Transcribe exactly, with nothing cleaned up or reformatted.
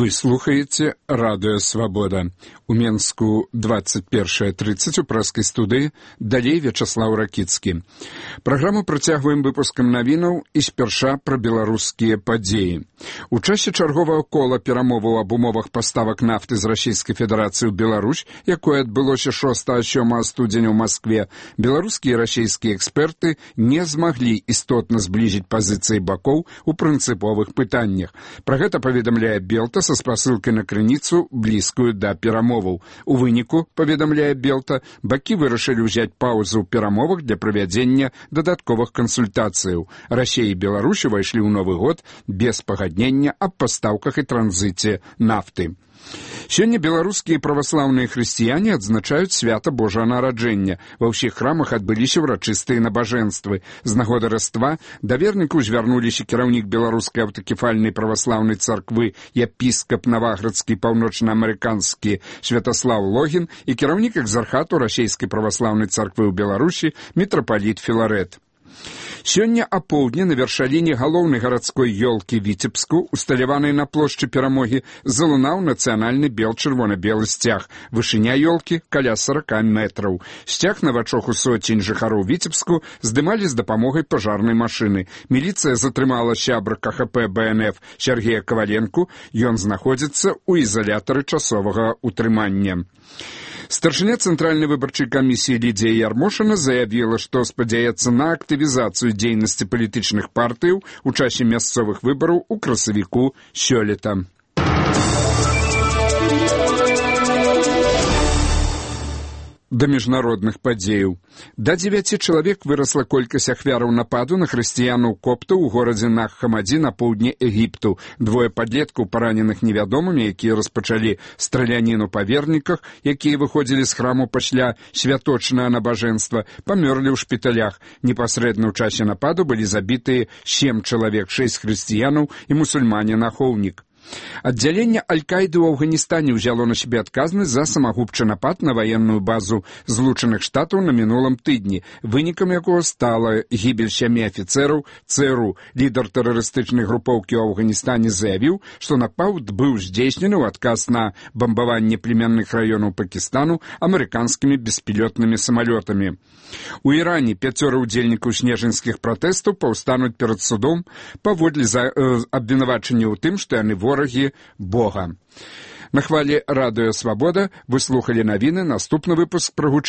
Вы слухаеце радыё Свабода. У Менску двадцать першая тридцать у прэскай студыі, далей Вячаслаў Ракіцкі. Праграму працягваем выпускам навінаў і спярша пра беларускія падзеі. У часе чарговага кола перамоваў аб умовах паставак нафты з Расійскай Федэрацыі ў Беларусь, якое адбылося шостага-сёмага студзеня ў Маскве, беларускія і расійскія эксперты не змаглі істотна зблізіць пазіцыі бакоў у прынцыповых пытаннях. Пра гэта паведамляе Белта са спасылкай на крыніцу, блізкую да перамоваў. У выніку, паведамляе Белта, бакі вырашылі ўзяць паўзу ў перамовах для правядзення дадатковых кансультацыяў. Расія і Беларусь увайшлі ў Новы год без пагаднення аб пастаўках і транзіце нафты. Сёння беларускія праваслаўныя хрысціяне адзначаюць свята Божага нараджэння. Ва ўсіх храмах адбыліся ўрачыстыя набажэнствы. З нагоды Раства да вернікаў звярнуліся кіраўнік беларускай аўтакефальнай праваслаўнай царквы епіскап наваградскі паўночнаамерыканскі Святаслаў Логін і кіраўнік экзархату расійскай праваслаўнай царквы ў Беларусі мітрапаліт Філарэт. Сёння апоўдні на вяршаліне галоўнай гарадской ёлкі Віцебску, усталяванай на плошчы Перамогі, залунаў нацыянальны бел-чырвона-белы сцяг. Вышыня ёлкі каля сорока метраў. Сцяг на вачах у соцень жыхароў Віцебску здымалі з дапамогай пажарнай машыны. Міліцыя затрымала сябра ка ха пэ бэ эн эф Сергея Каваленку. Ён знаходзіцца ў ізалятары часовага утрымання. Старшыня Цэнтральнай выбарчай камісіі Лідзія Ярмошына заявіла, што спадзяецца на актывізацыю дзейнасці палітычных партыяў у часе мясцовых выбараў у красавіку сёлета. Да міжнародных падзеяў. Да дзевяці чалавек вырасла колькасць ахвяраў нападу на хрысціянаў-коптаў у горадзе Нах-Хамаді на поўдні Егіпту. Двое падлеткаў, параненых невядомымі, якія распачалі страляніну па верніках, якія выходзілі з храму пасля святочнага набажэнства, памёрлі ў шпіталях. Непасрэдна ў часе нападу былі забітыя сем чалавек, шэсць хрысціянаў і мусульманін-ахоўнік. Аддзяленне Аль-Каіды ў Афганістане ўзяло на сябе адказнасць за самагубчы напад на ваенную базу Злучаных Штатаў на мінулым тыдні, вынікам якога стала гібель сямі афіцэраў цэ эр у. Лідар тэрарыстычнай групоўкі ў Афганістане заявіў, што напад быў здзейснены ў адказ на бамбаванне племянных раёнаў Пакістану амерыканскімі беспілётнымі самалётамі. У Іране пяцёра ўдзельнікаў снежаньскіх пратэстаў паўстануць перад судом паводле за, э, абвінавачання ў тым, што яны ворагі Бога. На хвале радыё Свабода вы слухалі навіны, наступны выпуск прагучыць